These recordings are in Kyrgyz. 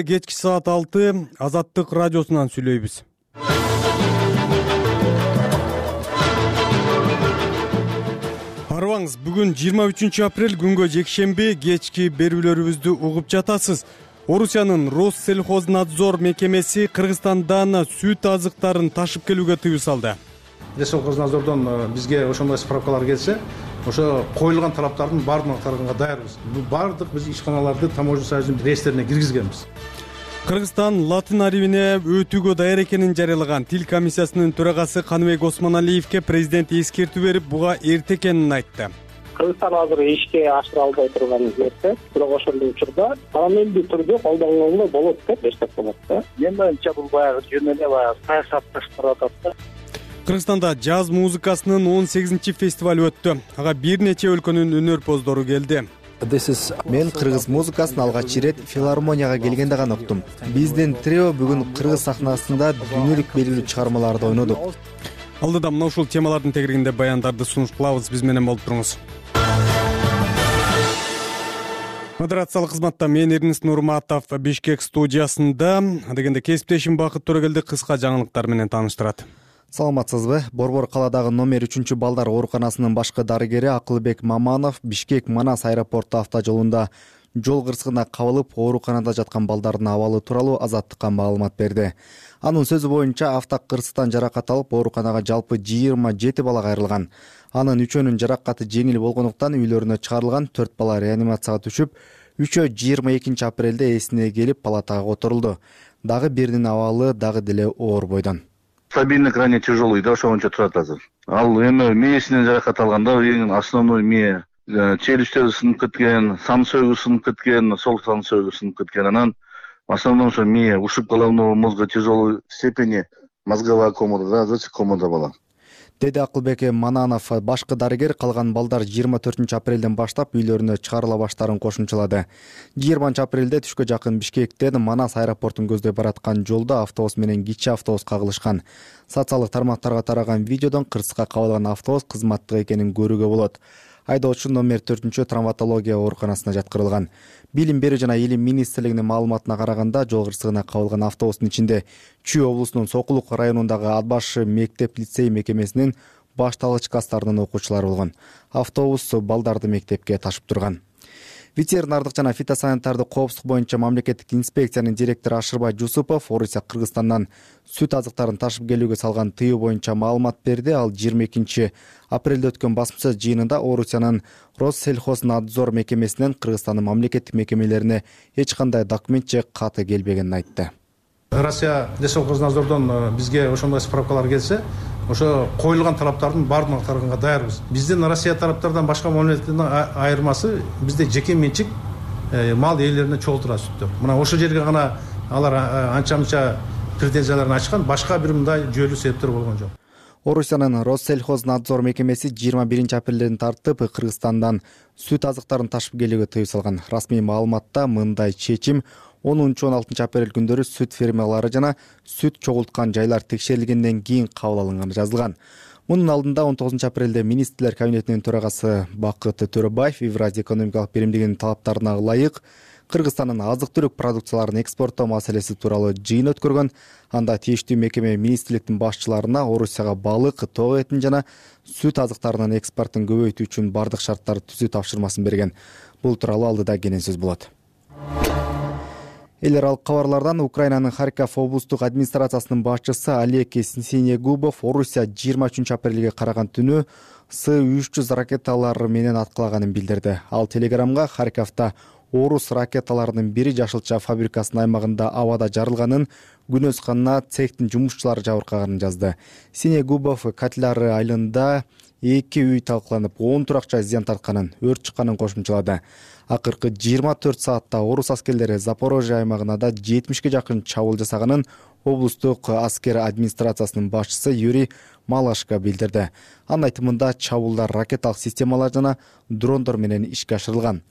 Кечки саат 6 Азаттык радиосунан сүйлөйбүз. Арыбаңыз, бүгүн 23 апрель күнгө жекшемби кечки берүүлөрүбүздү угуп жатасыз. Орусиянын Россельхознадзор мекемеси Кыргызстандан сүт азыктарын ташып келүүгө тыюу салды. Россельхознадзордон бизге ошондой справкалар келсе, ошо коюлган талаптардын баардыгын аткарганга даярбыз. Баардык биз ишканаларды таможня союзунун реестрине киргизгенбиз. Кыргызстан латын арибине өтүүгө даяр экенин жарыялаган Тил комиссиясынын төрагасы Каныбек Осмоналиевке президент эскертүү берип, буга эрте экенин айтты. Кыргызстан азыр ишке ашыра албай турган жерде, бирок ошондой учурда параллелдүү түрдө колдонгонго болот деп эсептелет да. Мен боюнча бул баягы жөн эле саясатташтырып атат да. Кыргызстанда жаз музыкасынын 18-чи фестиваль өттү. Ага бир нече өлкөнүн өнөрпоздору келди. Мен кыргыз музыкасын алгач ирет филармонияга келгенде гана уктум. Биздин трио бүгүн кыргыз сахнасында дүйнөлүк белгилүү чыгармаларды ойнодук. Алдыда мына ушул темалардын тегерегинде баяндарды сунуш кылабыз. Биз менен болуп туруңуз. Модерациялык кызматта мен Эрнис Нурматов, Бишкек студиясында. Дегенде кесиптешим Бакыт Төрөгелди кыска жаңылыктар менен тааныштырат. Саламатсызбы? Борбор калаадагы номер 3 балдар ооруканасынын башкы дарыгери Акылбек Маманов Бишкек-Манас аэропорту автожолунда жол кырсыгына кабылып, ооруканада жаткан балдардын абалы тууралуу Азаттыкка маалымат берди. Анын сөзү боюнча автокырсыктан жаракат алып, ооруканага жалпы 27 бала кайрылган. Анын 3өөнүн жаракаты жеңил болгондуктан үйлөрүнө чыгарылган. 4 бала реанимацияга түшүп, 3-өө 22 апрелде эсине келип палатага которулду. Дагы биринин абалы дагы деле оор бойдон. Стабильный, крайне тяжелый, да, ошончо турат азыр. Ал эми мээсинен жаракат алганда, эң основной мээ челюсттери сынып кеткен, сан сөөгү сынып кеткен, сол сан сөөгү сынып кеткен. Анан в основном ошо мээ, ушиб головного мозга тяжелой степени, мозговая комада, да, зачем комада бала. Деди Акылбек Мананов. Башкы дарыгер калган балдар 24 апрелден баштап үйлөрүнө чыгарыла баштаарын кошумчалады. 20 апрелде түшкө жакын Бишкектен Манас аэропортун көздөй бараткан жолдо автобус менен кичи автобус кагылышкан. Социалдык тармактарга тараган видеодон кырсыкка кабылган автобус кызматтык экенин көрүүгө болот. Айдоочу номер 4 травматология ооруканасына жаткырылган. Билим берүү жана илим министрлигинин маалыматына караганда, жол кырсыгына кабылган автобустун ичинде Чүй облусунун Сокулук районундагы Ат баш мектеп-лицей мекемесинин башталгыч класстарынын окуучулары болгон. Автобус балдарды мектепке ташып турган. Ветеринардык жана фитосанитардык коопсуздук боюнча мамлекеттик инспекциянын директору Ашырбай Жусупов Орусия Кыргызстандан сүт азыктарын ташып келүүгө салган тыюу боюнча маалымат берди. Ал 22 апрелде өткөн басма сөз жыйынында Орусиянын Россельхознадзор мекемесинен Кыргызстандын мамлекеттик мекемелерине эч кандай документ же каты келбегенин айтты. Россия Россельхознадзордон бизге ошондой справкалар келсе, ошо коюлган талаптардын баардыгын аткарганга даярбыз. Биздин Россия тараптардан башка мамлекеттин айырмасы, бизде жеке менчик мал ээлерине чогултурат сүттөр. Мына ошол жерге гана алар анча-мынча претензияларын ачкан, башка бир мындай жүйөлүү себептер болгон жок. Орусиянын Россельхознадзор мекемеси 21 апрелден тартып Кыргызстандан сүт азыктарын ташып келүүгө тыюу салган. Расмий маалыматта мындай чечим 10-16 апрель күндөрү сүт фермалары жана сүт чогулткан жайлар текшерилгенден кийин кабыл алынганы жазылган. Мунун алдында 19 апрелде министрлер кабинетинин төрагасы Бакыт Төрөбаев Евразия экономикалык биримдигинин талаптарына ылайык Кыргызстандын азык-түлүк продукцияларын экспорттоо маселеси тууралуу жыйын өткөргөн. Анда тийиштүү мекеме министрликтин башчыларына Орусияга балык, тоо этин жана сүт азыктарынын экспортун көбөйтүү үчүн бардык шарттарды түзүү тапшырмасын берген. Бул тууралуу алдыда кенен сөз болот. Эл аралык кабарлардан Украинанын Харьков облустук администрациясынын башчысы Олег Синегубов Орусия 23 апрелге караган түнү С-300 ракеталары менен аткылаганын билдирди. Ал телеграмга Харьковдо орус ракеталарынын бири жашылча фабрикасынын аймагында абада жарылганын, күнөз канына цехтин жумушчулары жабыркаганын жазды. Синегубов Катляр айылында 2 үй талкаланып, 10 туракча зыян тартканын, өрт чыкканын кошумчалады. Акыркы 24 саатта орус аскерлери Запорожье аймагына да 70ге жакын чабуул жасаганын облустук аскер администрациясынын башчысы Юрий Малашко билдирди. Анын айтымында чабуулдар ракеталык системалар жана дрондор менен ишке ашырылган.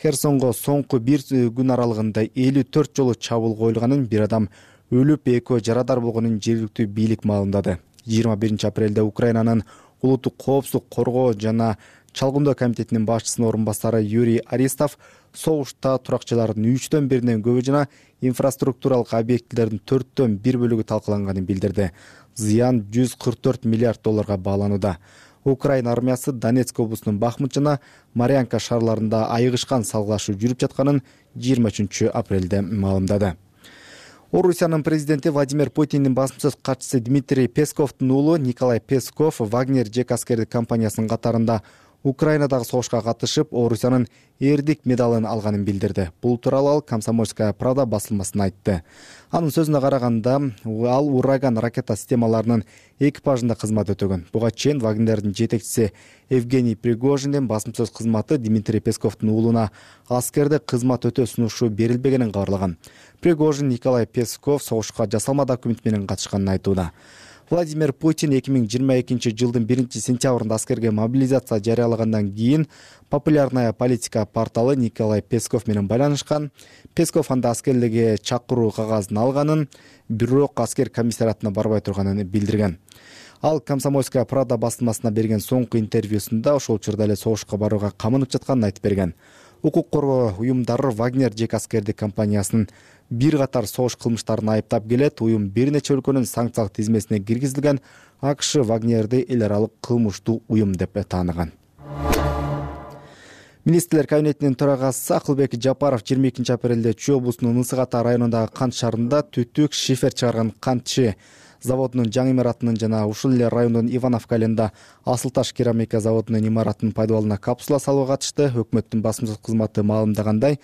Херсонго соңку бир күн аралыгында 54 жолу чабуул коюлганын, бир адам өлүп, 2 жарадар болгонун жергиликтүү бийлик маалымдады. 21 апрелде Украинанын улуттук коопсуздук коргоо жана чалгындоо комитетинин башчысынын орун басары Юрий Аристов согушта туракчылардын 1/3 көбү жана инфраструктуралык объектилердин 1/4 талкаланганын билдирди. Зыян $144 миллиард бааланууда. Украина армиясы Донецк облусунун Бахмут жана Марьянка шаарларында айыгышкан салгылашуу жүрүп жатканын 23 апрелде маалымдады. Орусиянын президенти Владимир Путиндин басым сөз катчысы Дмитрий Песковдун уулу Николай Песков Вагнер жек аскердик компаниясынын катарында Украинадагы согушка катышып, Орусиянын эрдик медалын алганын билдирди. Бул тууралуу ал Комсомольская правда басылмасына айтты. Анын сөзүнө караганда, ал Ураган ракета системаларынын экипажында кызмат өтөгөн. Буга чейин Вагнердин жетекчиси Евгений Пригожиндин басым сөз кызматы Дмитрий Песковдун уулуна аскерде кызмат өтөө сунушу берилбегенин кабарлаган. Пригожин Николай Песков согушка жасалма документ менен катышканын айтууда. Владимир Путин 2022 жылдын 1-сентябрында аскерге мобилизация жарыялагандан кийин популярная политика порталы Николай Песков менен байланышкан. Песков анда аскерлерге чакыруу кагазын алганын, бирок аскер комиссариатына барбай турганын билдирген. Ал Комсомольская правда басылмасына берген соңку интервьюсунда ошол учурда эле согушка барууга камынып жатканын айтып берген. Укук коргоо уюмдары Вагнер жек аскердик компаниясынын бир катар согуш кылмыштарын айыптап келет. Уюм бир нече өлкөнүн санкциялык тизмесине киргизилген. АКШ Вагнерди эл аралык кылмыштуу уюм деп тааныган. Министрлер кабинетинин төрагасы Акылбек Жапаров 22 апрелде Чүй облусунун Ысык Ата районундагы кант шаарында түтүк шифер чыгарган кантчы заводунун жаңы имаратынын жана ушул эле райондун Ивановка айылында Асыл таш керамика заводунун имаратынын пайдаланууна капсула салууга катышты. Өкмөттүн басым сөз кызматы маалымдагандай,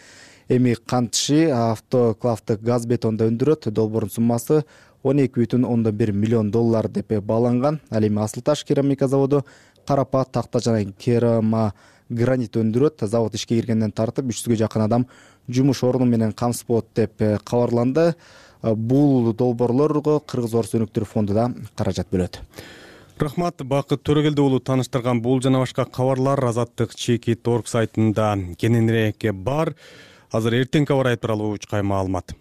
эми кантчы автоклавдык газ бетонду өндүрөт. Долбоордун суммасы $12,1 миллион деп бааланган. Ал эми Асыл таш керамика заводу карапат, такта жана керамогранит өндүрөт. Завод ишке киргенден тартып 300гө жакын адам жумуш орну менен камсыз болот деп кабарланды. Бул долбоорлорго Кыргыз Орус өнүктүрүү фонду да каражат бөлөт. Рахмат, Бакыт Төрөгелди уулу тааныштырган бул жана башка кабарлар Азаттык Чекит.org сайтында кененирээк бар. Азыр эртеңки аба ырайы тууралуу учкай маалымат.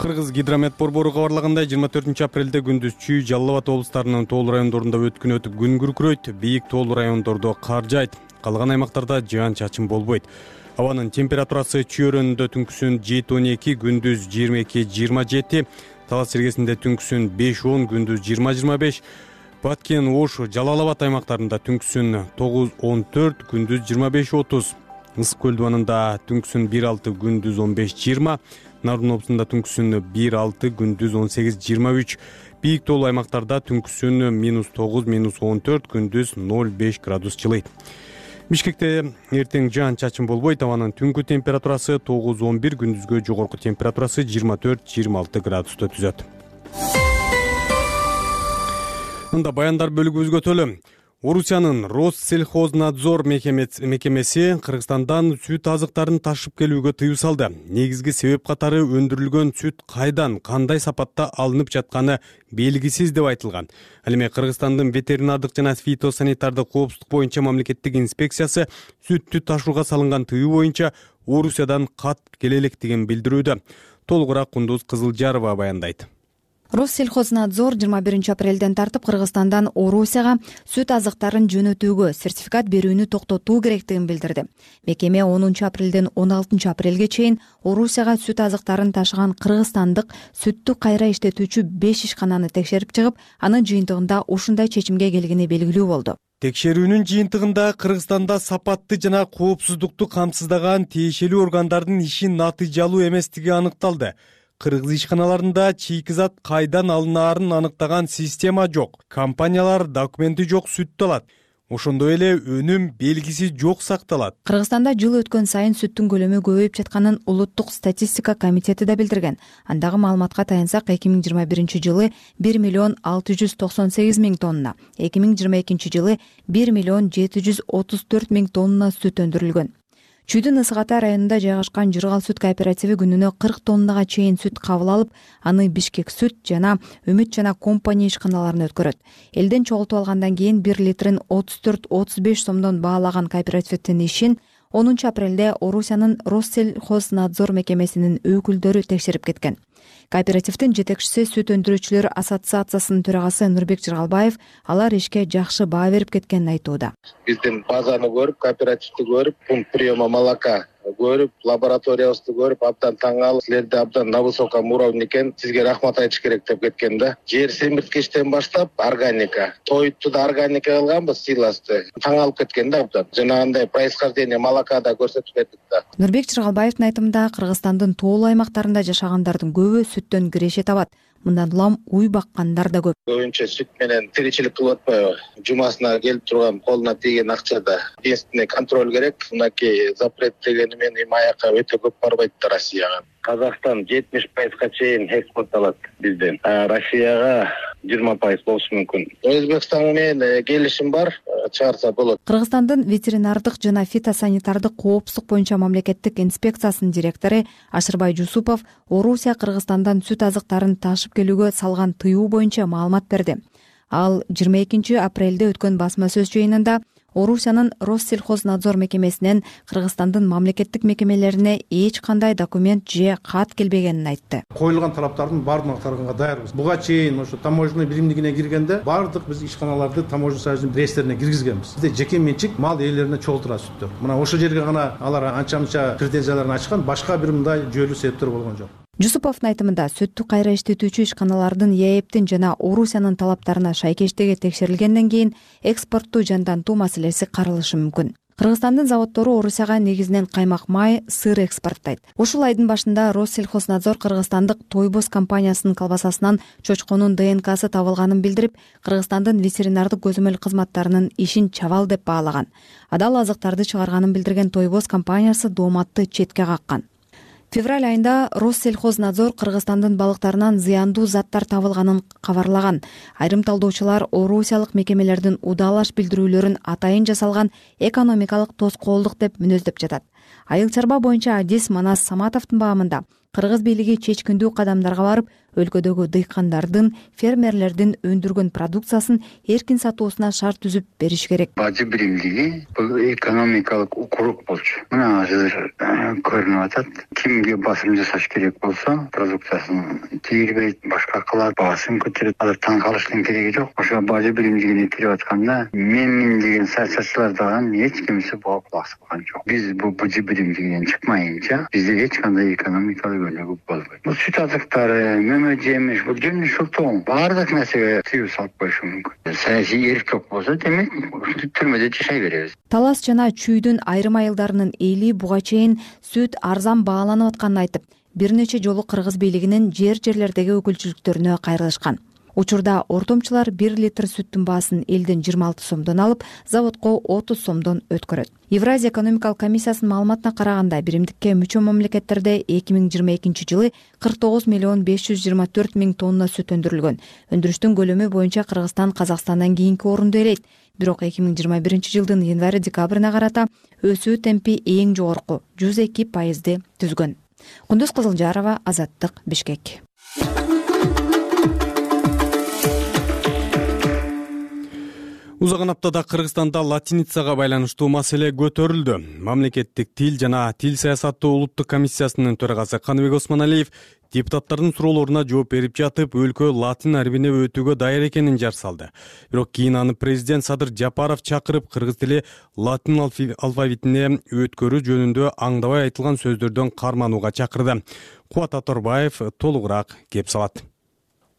Кыргыз гидромет борбору кабарлагандай, 24 апрелде күндүз Чүй, Жалал Абад облустарынын тоолуу райондорунда өткүн өтүп күн күркүрөйт, бийик тоолуу райондордо кар жаайт, калган аймактарда жаан-чачын болбойт. Абанын температурасы Чүй өрөөнүндө түнкүсүн 7-12, күндүз 22-27, Талас сергесинде түнкүсүн 5-10, күндүз 20-25, Баткен, Ош, Жалал Абад аймактарында түнкүсүн 9-14, күндүз 25-30, Ысык көл дубанында түнкүсүн 1-6, күндүз 15-20, Нарын облусунда түнкүсүн 1-6, күндүз 18-23, бийик тоолуу аймактарда түнкүсүн -9, -14, күндүз 0,5 градус жылыйт. Бишкекте эртең жаан-чачын болбойт, абанын түнкү температурасы 9-11, күндүзгө жогорку температурасы 24-26 градусту түзөт. Мында баяндар бөлүгүбүзгө өтөлү. Орусиянын Россельхознадзор мекемеси Кыргызстандан сүт азыктарын ташып келүүгө тыюу салды. Негизги себеп катары өндүрүлгөн сүт кайдан, кандай сапатта алынып жатканы белгисиз деп айтылган. Ал эми Кыргызстандын ветеринардык жана фитосанитардык коопсуздук боюнча мамлекеттик инспекциясы сүттү ташууга салынган тыюу боюнча Орусиядан кат келе электигин билдирүүдө. Толугураак Кундуз Кызылжарова баяндайт. Россельхознадзор 21 апрелден тартып Кыргызстандан Орусияга сүт азыктарын жөнөтүүгө сертификат берүүнү токтотуу керектигин билдирди. Мекеме 10 апрелден 16 апрелге чейин Орусияга сүт азыктарын ташыган кыргызстандык сүттү кайра иштетүүчү 5 ишкананы текшерип чыгып, анын жыйынтыгында ушундай чечимге келгени белгилүү болду. Текшерүүнүн жыйынтыгында Кыргызстанда сапатты жана коопсуздукту камсыздаган тиешелүү органдардын иши натыйжалуу эместиги аныкталды. Кыргыз ишканаларында чийкизат кайдан алынаарын аныктаган система жок. Компаниялар документи жок сүттү алат. Ошондой эле өнүм белгиси жок сакталат. Кыргызстанда жыл өткөн сайын сүттүн көлөмү көбөйүп жатканын Улуттук статистика комитети да билдирген. Андагы маалыматка таянсак, 2021 жылы 1,698,000 тонна, 2022 жылы 1,734,000 тонна сүт өндүрүлгөн. Чүйдүн Ысык Ата районунда жайгашкан Жыргал сүт кооперативи күнүнө 40 тоннага чейин сүт кабыл алып, аны Бишкек сүт жана Үмүт жана компания ишканаларына өткөрөт. Элден чогултуп алгандан кийин 1 литрин 34-35 сомдон баалаган кооперативдин ишин апрелде Орусиянын Россельхознадзор мекемесинин өкүлдөрү текшерип кеткен. Кооперативдин жетекчиси Сүт өндүрүүчүлөр ассоциациясынын төрагасы Нурбек Жыргалбаев алар ишке жакшы баа берип кеткенин айтууда. Биздин базаны көрүп, кооперативди көрүп, пункт приема молока көрүп, лабораториябызды көрүп, абдан таң калып, силерде абдан на высоком уровне экен, сизге рахмат айтыш керек деп кеткен да. Жер семирткичтен баштап органика, тойту да органика кылганбыз, сыйласты. Таң калып кеткен да абдан. Жанагындай происхождение молока да көрсөтүп бердик да. Нурбек Жыргалбаевдин айтымында Кыргызстандын тоолуу аймактарында жашагандардын көбү сүттөн киреше табат. Мындан улам уй баккандар да көп. Көбүнчө сүт менен тиричилик кылып атпайбы? Жумасына келип турган, колуна тийген акчада единственный контроль керек. Мынакей запрет дегени менен аяка өтө көп барбайт да Россияга. Казакстан 70% чейин экспортталат бизден. Россияга 20% болушу мүмкүн. Өзбекстан менен келишим бар, чыгарса болот. Кыргызстандын ветеринардык жана фитосанитардык коопсуздук боюнча мамлекеттик инспекциясынын директору Ашырбай Жусупов Орусия Кыргызстандан сүт азыктарын ташып келүүгө салган тыюу боюнча маалымат берди. Ал 22 апрелде өткөн басма сөз жыйынында Орусиянын Россельхознадзор мекемесинен Кыргызстандын мамлекеттик мекемелерине эч кандай документ же кат келбегенин айтты. Коюлган талаптардын баардыгын аткарганга даярбыз. Буга чейин ошо таможенный биримдигине киргенде баардык биз ишканаларды таможня союзунун реестрине киргизгенбиз. Бизде жеке менчик мал ээлерине чогултура сүттөр. Мына ошол жерге гана алар анча-мынча претензияларын ачкан, башка бир мындай жүйөлүү себептер болгон жок. Жусуповдун айтымында сүттү кайра иштетүүчү ишканалардын ЕЭПтин жана Орусиянын талаптарына шайкештиги текшерилгенден кийин экспортту жандантуу маселеси каралышы мүмкүн. Кыргызстандын заводдору Орусияга негизинен каймак май, сыр экспорттойт. Ушул айдын башында Россельхознадзор кыргызстандык Тойбоз компаниясынын колбасасынан чочконун ДНКсы табылганын билдирип, Кыргызстандын ветеринардык көзөмөл кызматтарынын ишин чабал деп баалаган. Адал азыктарды чыгарганын билдирген Тойбоз компаниясы дооматты четке каккан. Февраль айында Россельхознадзор Кыргызстандын балыктарынан зыяндуу заттар табылганын кабарлаган. Айрым талдоочулар орусиялык мекемелердин удаалаш билдирүүлөрүн атайын жасалган экономикалык тоскоолдук деп мүнөздөп жатат. Айыл чарба боюнча Адис Манас Саматовдун баамында кыргыз бийлиги чечкиндүү кадамдарга барып, өлкөдөгү дыйкандардын, фермерлердин өндүргөн продукциясын эркин сатуусуна шарт түзүп бериш керек. Бажы биримдиги бул экономикалык укурук болчу. Мына азыр көрүнүп атат. Кимге басым жасаш керек болсо, продукциясын тийирбейт, башка кылат, баасын көтөрөт. Азыр таң калыштын кереги жок. Ошо бажы биримдигине кирип атканда мен деген саясатчылар дагы эч кимсе буга кулак салган жок. Биз бул бажы биримдигинен чыкмайынча бизде эч кандай экономикалык өнүгүү болбойт. Бул сүт азыктары, жемиш, бул жемиш шылтоо баардык нерсеге тыюу салып коюшу мүмкүн. Саясий эркек болсо, демек түрмөдө жашай беребиз. Талас жана Чүйдүн айрым айылдарынын эли буга чейин сүт арзан бааланып атканын айтып, бир нече жолу кыргыз бийлигинин жерлердеги өкүлчүлүктөрүнө кайрылышкан. Учурда ортомчулар 1 литр сүттүн баасын элден 26 сомдон алып, заводко 30 сомдон өткөрөт. Евразия экономикалык комиссиясынын маалыматына караганда, биримдикке мүчө мамлекеттерде 2022 жылы 49 миллион 524 миң тонна сүт өндүрүлгөн. Өндүрүштүн көлөмү боюнча Кыргызстан Казакстандан кийинки орунду ээлейт. Бирок 2021 жылдын январь-декабрына карата өсүү темпи эң жогорку 102% түзгөн. Кундуз Кызылжарова, Азаттык, Бишкек. Узаган аптада Кыргызстанда латиницага байланыштуу маселе көтөрүлдү. Мамлекеттик тил жана тил саясаты улуттук комиссиясынын төрагасы Каныбек Осмоналиев депутаттардын суроолоруна жооп берип жатып, өлкө латин арбине өтүүгө даяр экенин жар салды. Бирок кийин аны президент Садыр Жапаров чакырып, кыргыз тили латин алфавитине өткөрүү жөнүндө аңдабай айтылган сөздөрдөн карманууга чакырды. Кубат Аторбаев толугураак кеп салат.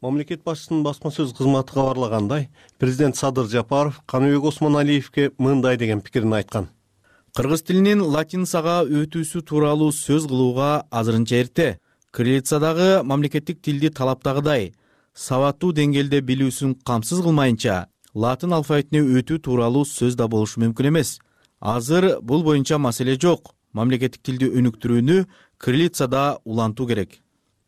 Мамлекет башчысынын басма сөз кызматы кабарлагандай, президент Садыр Жапаров Каныбек Осмоналиевке мындай деген пикирин айткан. Кыргыз тилинин латиницага өтүүсү тууралуу сөз кылууга азырынча эрте. Кириллицадагы мамлекеттик тилди талаптагыдай сабаттуу деңгээлде билүүсүн камсыз кылмайынча, латин алфавитине өтүү тууралуу сөз да болушу мүмкүн эмес. Азыр бул боюнча маселе жок. Мамлекеттик тилди өнүктүрүүнү кириллицада улантуу керек.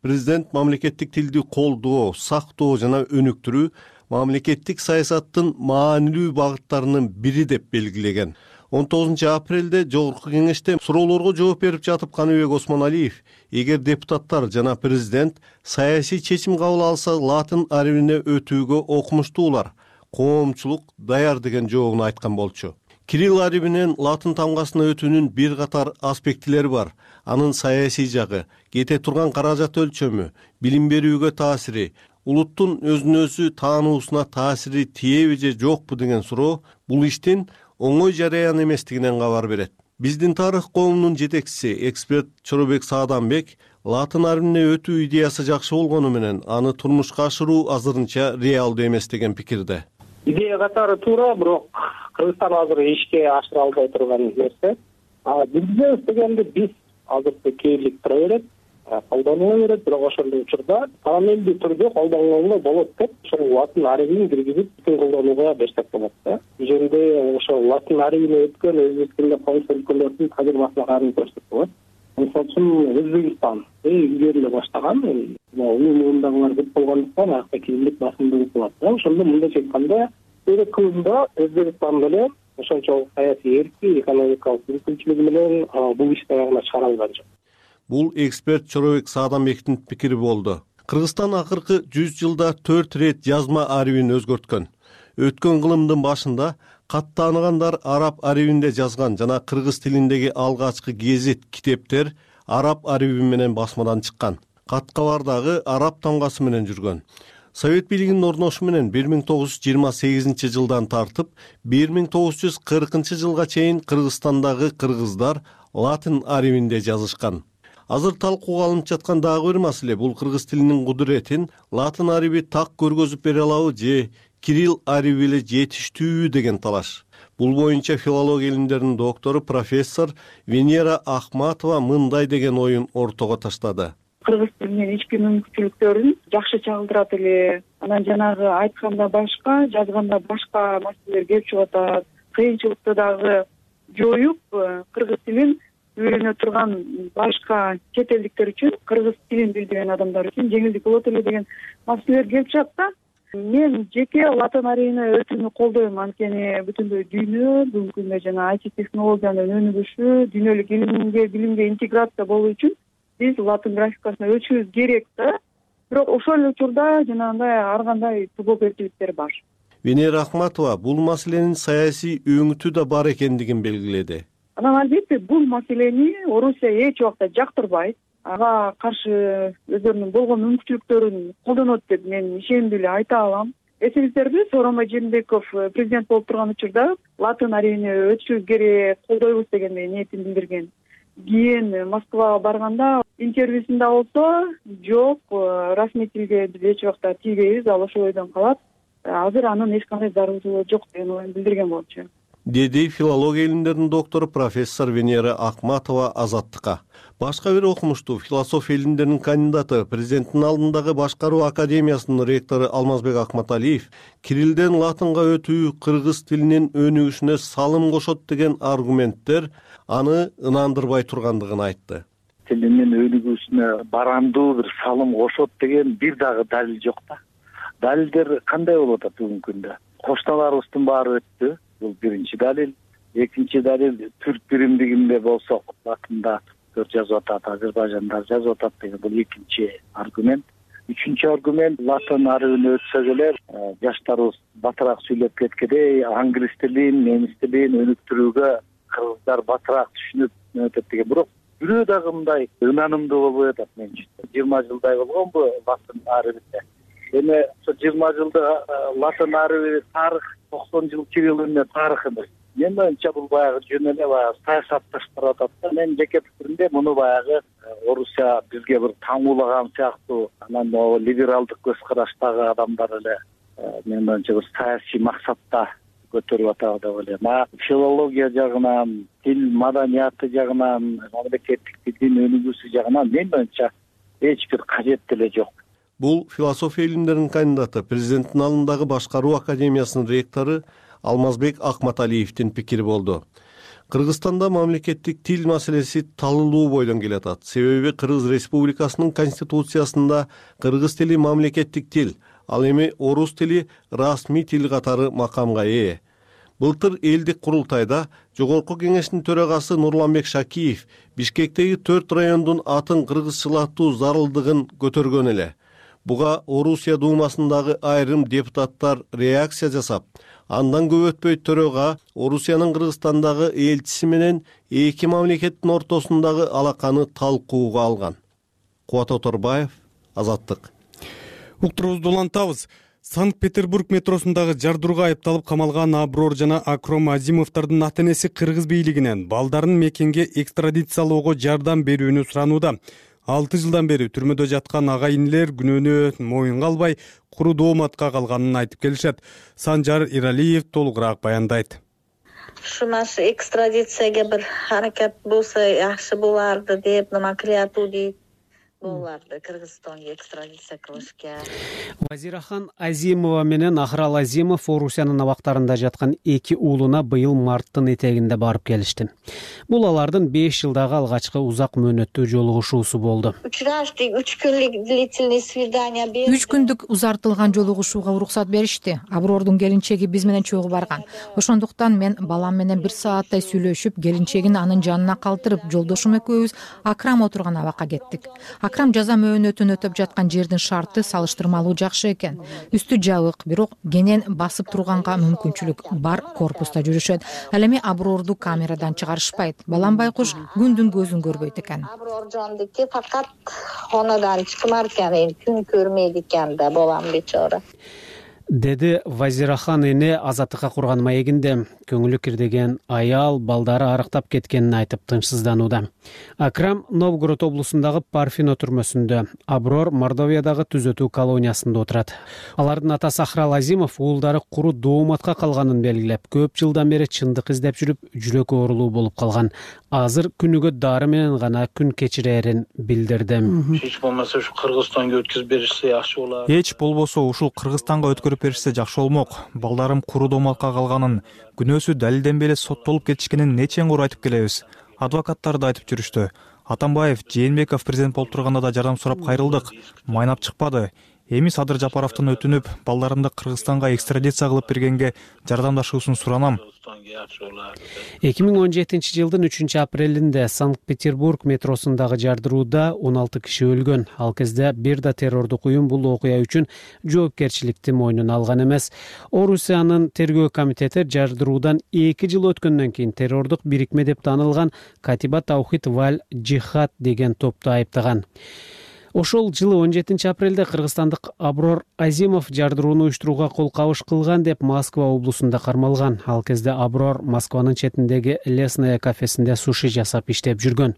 Президент мамлекеттик тилди колдоо, сактоо жана өнүктүрүү мамлекеттик саясаттын маанилүү багыттарынын бири деп белгилеген. 19 апрелде Жогорку кеңеште суроолорго жооп берип жатып Каныбек Осмоналиев, эгер депутаттар жана президент саясий чечим кабыл алса, латын арбине өтүүгө окумуштуулар, коомчулук даяр деген жообун айткан болчу. Кирилл арибинен латын тамгасына өтүүнүн бир катар аспектилери бар. Анын саясий жагы, кете турган каражат өлчөмү, билим берүүгө таасири, улуттун өзүнө өзү таануусуна таасири тиеби же жокпу деген суроо бул иштин оңой жараян эместигинен кабар берет. Биздин тарых коомунун жетекчиси, эксперт Чоробек Сааданбек латын арибине өтүү идеясы жакшы болгону менен аны турмушка ашыруу азырынча реалдуу эмес деген пикирде. Идея катары туура, бирок Кыргызстан азыр ишке ашыра албай турган нерсе. Билбейбиз дегенде биз азыр кейирлик тура берет, колдонула берет, бирок ошондой учурда параллелдүү түрдө колдонула болот деп ошол латын арибин киргизип бүтүн колдонууга берсек болот да. Ошондо ошол латын арибине өткөн өзбек тилинде коңшу өлкөлөрдүн тажрыйбасына каршы көрсөк болот. Мисалы үчүн Өзбекстан илгери эле баштаган, уюмундагылар көп болгондуктан акта кирилик басымдуулук болот да. Ошондо мындайча айтканда, бир кылымда Өзбекстан менен ошончолук саясий эрки, экономикалык мүмкүнчүлүгү менен бул ишти аягына чыгара алган жок. Бул эксперт Чоробек Сааданбектин пикири болду. Кыргызстан акыркы 100 жылда 4 рет жазма арибин өзгөрткөн. Өткөн кылымдын башында кат тааныгандар араб арибинде жазган жана кыргыз тилиндеги алгачкы гезит, китептер араб ариби менен басмадан чыккан. Кат кабар дагы араб тамгасы менен жүргөн. Совет бийлигинин орношуу менен 1928 жылдан тартып 1940 жылга чейин Кыргызстандагы кыргыздар латын арибинде жазышкан. Азыр талкууга алынып жаткан дагы бир маселе бул кыргыз тилинин кудуретин латын ариби так көргөзүп бере алабы же Кирилл ариби эле жетиштүүбү деген талаш. Бул боюнча филология илимдеринин доктору профессор Венера Ахматова мындай деген оюн ортого таштады. Кыргыз тилинин ички мүмкүнчүлүктөрүн жакшы чагылдырат эле. Анан жанагы айтканда башка, жазганда башка маселелер келип чыгып атат. Кыйынчылыкты дагы жоюп, кыргыз тилин үйрөнө турган башка чет элдиктер үчүн, кыргыз тилин билбеген адамдар үчүн жеңилдик болот эле деген маселелер келип чыгат да. Мен жеке латын арибине өтүүнү колдойм, анткени бүтүндөй дүйнө бүгүнкү күндө жана IT технологиянын өнүгүшү, дүйнөлүк билимге интеграция болуу үчүн биз латын графикасына өтүшүбүз керек да. Бирок ошол эле учурда жанагындай ар кандай тобокелчиликтер бар. Венера Ахматова бул маселенин саясий өңүтү да бар экендигин белгиледи. Анан албетте бул маселени Орусия эч убакта жактырбайт. Ага каршы өздөрүнүн болгон мүмкүнчүлүктөрүн колдонот деп мен ишендүү эле айта алам. Эсиңиздерде Сооронбай Жээнбеков президент болуп турган учурда латын арибине өтүшүбүз керек, колдойбуз дегендей ниетин билдирген. Кийин Москвага барганда интервьюсунда болсо, жок, расмий тилге биз эч убакта тийбейбиз, ал ошол ойдон калат. Азыр анын эч кандай зарылчылыгы жок деген оюн билдирген болчу. Деди филология илимдеринин доктору профессор Венера Ахматова Азаттыкка. Башка бир окумуштуу философия илимдеринин кандидаты, президенттин алдындагы башкаруу академиясынын ректору Алмазбек Акматалиев Кириллден латынга өтүү кыргыз тилинин өнүгүшүнө салым кошот деген аргументтер аны ынандырбай тургандыгын айтты. Тилинин өнүгүүсүнө барандуу бир салым кошот деген бир дагы далил жок да. Далилдер кандай болуп атат бүгүнкү күндө? Кошуналарыбыздын баары өттү. Бул биринчи далил. Экинчи далил, түрк биримдигинде болсок латында жазып атат, Азербайжанда жазып атат деген бул экинчи аргумент. Үчүнчү аргумент, латын арибине өтсөк эле жаштарыбыз батыраак сүйлөп кеткендей, англис тилин, немис тилин өнүктүрүүгө кыргыздар батыраак түшүнүп өтөт деген. Бирок бирөө дагы мындай ынанымдуу болбой атат менчи. 20 жылдай болгонбу латын арибинде. Эми ошо 20 жылда латын ариби тарых 90 жыл Кирилл эмне тарых эмес. Мен боюнча бул баягы жөн эле баягы саясатташтырып атат да. Мен жеке пикиримде муну баягы Орусия бизге бир таңуулаган сыяктуу, анан либералдык көз караштагы адамдар эле мен боюнча бир саясий максатта көтөрүп атат деп ойлойм. Филология жагынан, тил маданияты жагынан, мамлекеттик тилдин өнүгүүсү жагынан мен боюнча эч бир кажет деле жок. Бул философия илимдеринин кандидаты, президенттин алдындагы башкаруу академиясынын ректору Алмазбек Акматалиевдин пикири болду. Кыргызстанда мамлекеттик тил маселеси талылуу бойдон келатат. Себеби Кыргыз Республикасынын конституциясында кыргыз тили мамлекеттик тил, ал эми орус тили расмий тил катары макамга ээ. Былтыр элдик курултайда Жогорку кеңештин төрагасы Нурланбек Шакиев Бишкектеги 4 райондун атын кыргызчалатуу зарылдыгын көтөргөн эле. Буга Орусия Думасындагы айрым депутаттар реакция жасап, Андан көп өтпөй төрөга Орусиянын Кыргызстандагы элчиси менен эки мамлекеттин ортосундагы алаканы талкууга алган. Кубат Оторбаев, Азаттык. Уктурубузду улантабыз. Санкт-Петербург метросундагы жардырууга айыпталып камалган Аброр жана Акром Азимовдордун ата-энеси кыргыз бийлигинен балдарын мекенге экстрадициялоого жардам берүүнү суранууда. 6 жылдан бери түрмөдө жаткан ага-инилер күнөөнү моюнга албай, куру дооматка калганын айтып келишет. Санжар Иралиев толугураак баяндайт. Ушунасы экстрадицияга бир аракет болсо жакшы боларды деп, креатуу дейт. Буларды Кыргызстанга экстрадиция кылышка. Вазирахан Азимова менен Ахрал Азимов Орусиянын абактарында жаткан эки уулуна быйыл марттын этегинде барып келишти. Бул алардын 5 жылдагы алгачкы узак мөөнөттүү жолугушуусу болду. 3 күнлүк длительный свидание берди. 3 күндүк узартылган жолугушууга уруксат беришти. Абрордун келинчеги биз менен чогуу барган. Ошондуктан мен балам менен 1 сааттай сүйлөшүп, келинчегин анын жанына калтырып, жолдошум экөөбүз Акрам отурган абакка кеттик. Акрам жаза мөөнөтүн өтөп жаткан жердин шарты салыштырмалуу жакшы экен. Үстү жабык, бирок кенен басып турганга мүмкүнчүлүк бар корпуста жүрүшөт. Ал эми Аброрду камерадан чыгарышпайт. Балам байкуш күндүн көзүн көрбөйт экен. Аброр жондуки факат хонадан чыкмар экен, күн көрмөйт экен да балам бечара. Деди Вазирахан эне Азаттыкка курган маегинде. Көңүлү кирдеген аял балдары арыктап кеткенин айтып тынчсызданууда. Акрам Новгород облусундагы Парфино түрмөсүндө, Аброр Мордовиядагы түзөтүү колониясында отурат. Алардын атасы Ахрал Азимов уулдары куру дооматка калганын белгилеп, көп жылдан бери чындык издеп жүрүп, жүрөк оорулуу болуп калган. Азыр күнүгө дары менен гана күн кечирээрин билдирди. Эч болмосо ушу Кыргызстанга өткөзүп беришсе жакшы болот. Эч болбосо ушул Кыргызстанга өткөрүп беришсе жакшы болмок. Балдарым куру дооматка калганын, күнөөсү далилденбей эле соттолуп кетишкенин нече оор айтып келебиз. Адвокаттар да айтып жүрүштү. Атамбаев, Жээнбеков президент болуп турганда да жардам сурап кайрылдык. Майнап чыкпады. Эми Садыр Жапаровдон өтүнүп, балдарымды Кыргызстанга экстрадиция кылып бергенге жардамдашуусун суранам. 2017-жылдын 3-апрелинде Санкт-Петербург метросундагы жардырууда 16 киши өлгөн. Ал кезде бир да террордук уюм бул окуя үчүн жоопкерчиликти мойнуна алган эмес. Орусиянын тергөө комитети жардыруудан 2 жыл өткөндөн кийин террордук бирикме деп таанылган Катиба Таухид Валь Джихад деген топту айыптаган. Ошол жылы 17-апрелде кыргызстандык Аброр Азимов жардырууну уюштурууга кол кабыш кылган деп Москва облусунда кармалган. Ал кезде Аброр Москванын четиндеги Лесная кафесинде суши жасап иштеп жүргөн.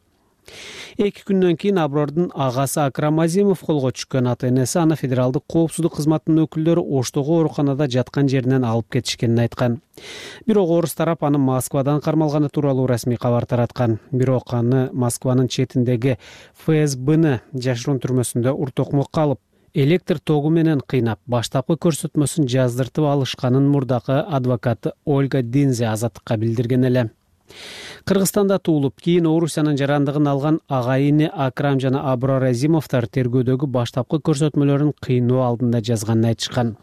2 күндөн кийин Абрордун агасы Акрам Азимов колго түшкөн. Ата-энеси аны федералдык коопсуздук кызматынын өкүлдөрү Оштогу ооруканада жаткан жеринен алып кетишкенин айткан. Бирок орус тарап аны Москвадан кармалганы тууралуу расмий кабар тараткан. Бирок аны Москванын четиндеги ФСБны жашыруун түрмөсүндө уртокмокко алып, электр тогу менен кыйнап, баштапкы көрсөтмөсүн жаздыртып алышканын мурдакы адвокаты Ольга Динзе Азаттыкка билдирген эле. Кыргызстанда туулуп, кийин Орусиянын жарандыгын алган ага-ини Акрам жана Аброр Азимовдор тергөөдөгү баштапкы көрсөтмөлөрүн кыйноо алдында жазганын айтышкан.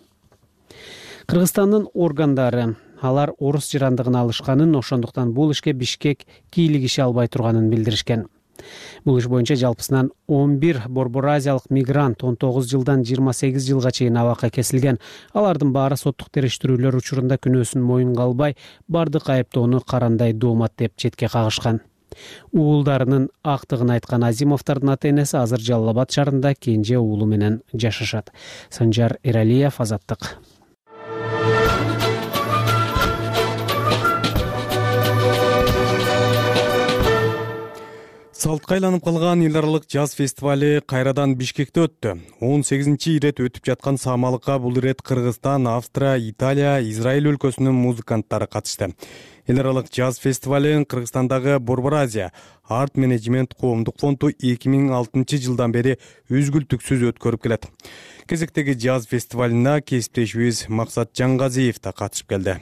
Кыргызстандын органдары алар орус жарандыгын алышканын, ошондуктан бул ишке Бишкек кийлигише албай турганын билдиришкен. Бул иш боюнча жалпысынан 11 Борбор Азиялык мигрант 19 жылдан 28 жылга чейин абакка кесилген. Алардын баары соттук териштирүүлөр учурунда күнөөсүн моюнга албай, бардык айыптоону карандай доомат деп четке кагышкан. Уулдарынын актыгын айткан Азимовдордун ата-энеси азыр Жалал Абад шаарында кенже уулу менен жашашат. Санжар Эралиев, Азаттык. Салтка айланып калган эл аралык жаз фестивали кайрадан Бишкекте өттү. 18-чи ирет өтүп жаткан самалыкка бул ирет Кыргызстан, Австрия, Италия, Израиль өлкөсүнүн музыканттары катышты. Эл аралык жаз фестивалын Кыргызстандагы Борбор Азия Арт Менеджмент коомдук фонду 2006-жылдан бери үзгүлтүксүз өткөрүп келет. Кезектеги жаз фестивалына кесиптешибиз Максат Жангазиев да катышып келди.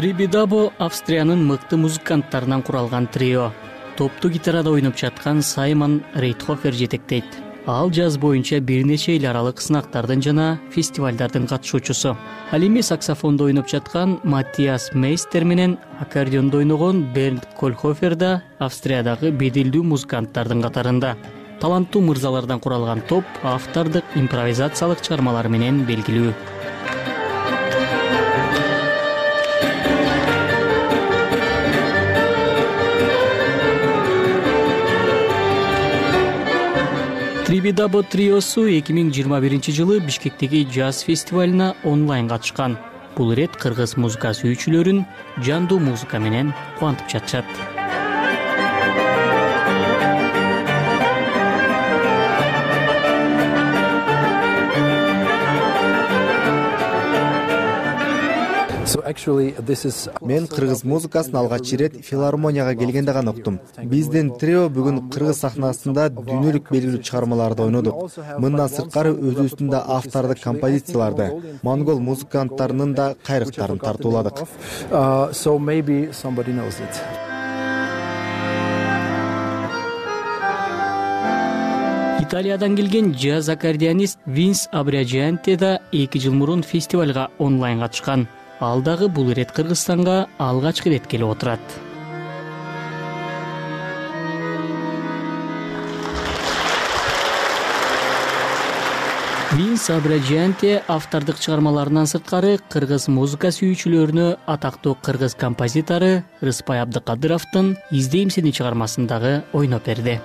Трибидабо Австриянын мыкты музыканттарынан куралган трио. Топту гитарада ойноп жаткан Саймон Рейтхофер жетектейт. Ал жаз боюнча бир нече эл аралык сынактардын жана фестивалдардын катышуучусу. Ал эми саксофондо ойноп жаткан Маттиас Мейстер менен аккордеондо ойногон Бернт Кольхофер да Австриядагы беделдүү музыканттардын катарында. таланттуу мырзалардан куралган топ автордук импровизациялык чыгармалары менен белгилүү. Трибидабо триосу 2021-жылы Бишкектеги джаз фестивалына онлайн катышкан. Бул ирет кыргыз музыка сүйүүчүлөрүн жандуу музыка менен кубантып жатышат. Мен кыргыз музыкасын алгач ирет филармонияга келгенде гана уктум. Биздин трио бүгүн кыргыз сахнасында дүйнөлүк белгилүү чыгармаларды ойнодук. Мындан сырткары өзүбүздүн да автордук композицияларды, монгол музыканттарынын да кайрыктарын тартууладык. Италиядан келген джаз аккордеонист Винс Абриаджианте да 2 жыл мурун фестивалга онлайн катышкан. Ал дагы бул ирет Кыргызстанга алгачкы ирет келип отурат. Винс Абриаджианте автордук чыгармаларынан сырткары кыргыз музыка сүйүүчүлөрүнө атактуу кыргыз композитору Рыспай Абдыкадыровдун «Издейм сени» чыгармасын дагы ойноп берди.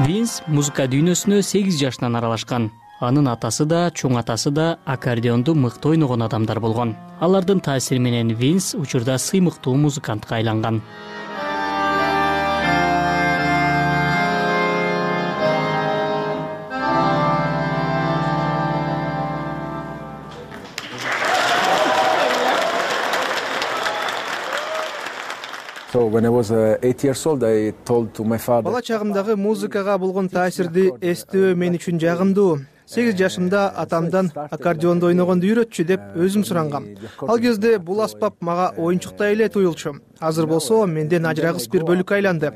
Винс музыка дүйнөсүнө 8 жашынан аралашкан. Анын атасы да, чоң атасы да аккордеонду мыкты ойногон адамдар болгон. Алардын таасири менен Винс учурда сыймыктуу музыкантка айланган. Бала чагымдагы музыкага болгон таасирди эстөө мен үчүн жагымдуу. 8 жашымда атамдан аккордеонду ойногонду үйрөтчү деп өзүм сурангам. Ал кезде бул аспап мага оюнчуктай эле туюлчу. Азыр болсо менден ажырагыс бир бөлүккө айланды.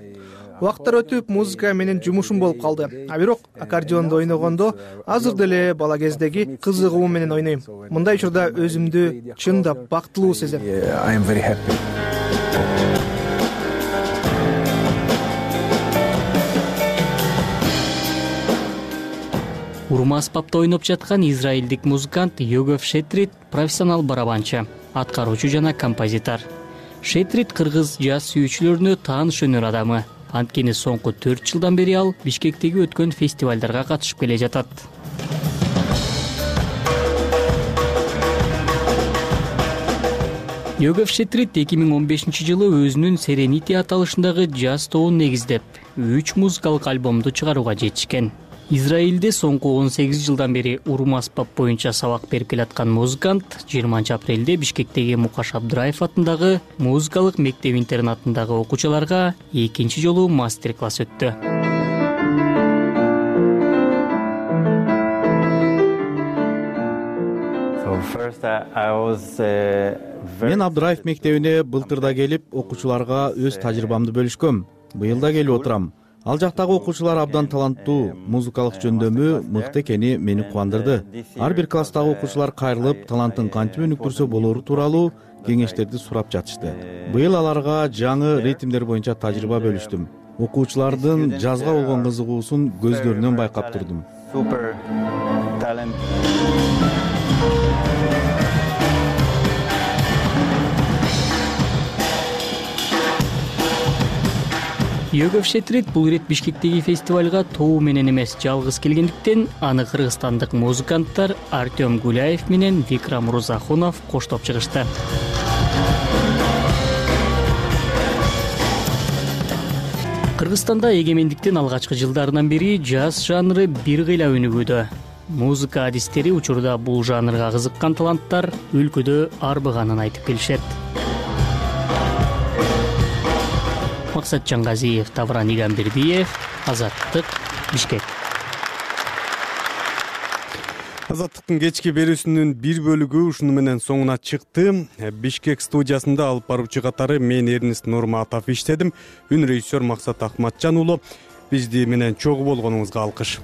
Убакыттар өтүп музыка менин жумушум болуп калды. А бирок аккордеонду ойногондо азыр деле бала кездеги кызыгуум менен ойнойм. Мындай учурда өзүмдү чындап бактылуу сезем. Урма аспапта ойноп жаткан израилдик музыкант Йогов Шетрит профессионал барабанчы, аткаруучу жана композитор. Шетрит кыргыз джаз сүйүүчүлөрүнө тааныш өнөр адамы. Анткени соңку 4 жылдан бери ал Бишкектеги өткөн фестивалдарга катышып келе жатат. Йогов Шетрит 2015-жылы өзүнүн Serenity аталышындагы джаз тобун негиздеп, 3 музыкалык альбомду чыгарууга жетишкен. Израилде соңку 18 жылдан бери урма аспап боюнча сабак берип келаткан музыкант 20-апрелде Бишкектеги Мукаш Абдыраев атындагы музыкалык мектеп-интернатындагы окуучуларга 2-нчи жолу мастер-класс өттү. Мен Абдыраев мектебине былтырда келип, окуучуларга өз тажрыйбамды бөлүшкөм. Быйыл да келип отурам. Ал жактагы окуучулар абдан таланттуу, музыкалык жөндөмү мыкты экени мени кубандырды. Ар бир класстагы окуучулар кайрылып, талантын кантип өнүктүрсө болору тууралуу кеңештерди сурап жатышты. Быйыл аларга жаңы ритмдер боюнча тажрыйба бөлүштүм. Окуучулардын жазга болгон кызыгуусун көздөрүнөн байкап турдум. Йогов Шетрит бул ирет Бишкектеги фестивалга тобу менен эмес жалгыз келгендиктен аны кыргызстандык музыканттар Артем Гуляев менен Викрам Рузахунов коштоп чыгышты. Кыргызстанда эгемендиктин алгачкы жылдарынан бери джаз жанры бир кыйла өнүгүүдө. Музыка адистери учурда бул жанрга кызыккан таланттар өлкөдө арбыганын айтып келишет. Максат Жангазиев, Тавран Игамбердиев, Азаттык, Бишкек. Азаттыктын кечки берүүсүнүн бир бөлүгү ушуну менен соңуна чыкты. Бишкек студиясында алып баруучу катары мен Эрнест Нурматов иштедим. Үн режиссер Максат Акматжан уулу. Бизди менен чогуу болгонуңузга алкыш.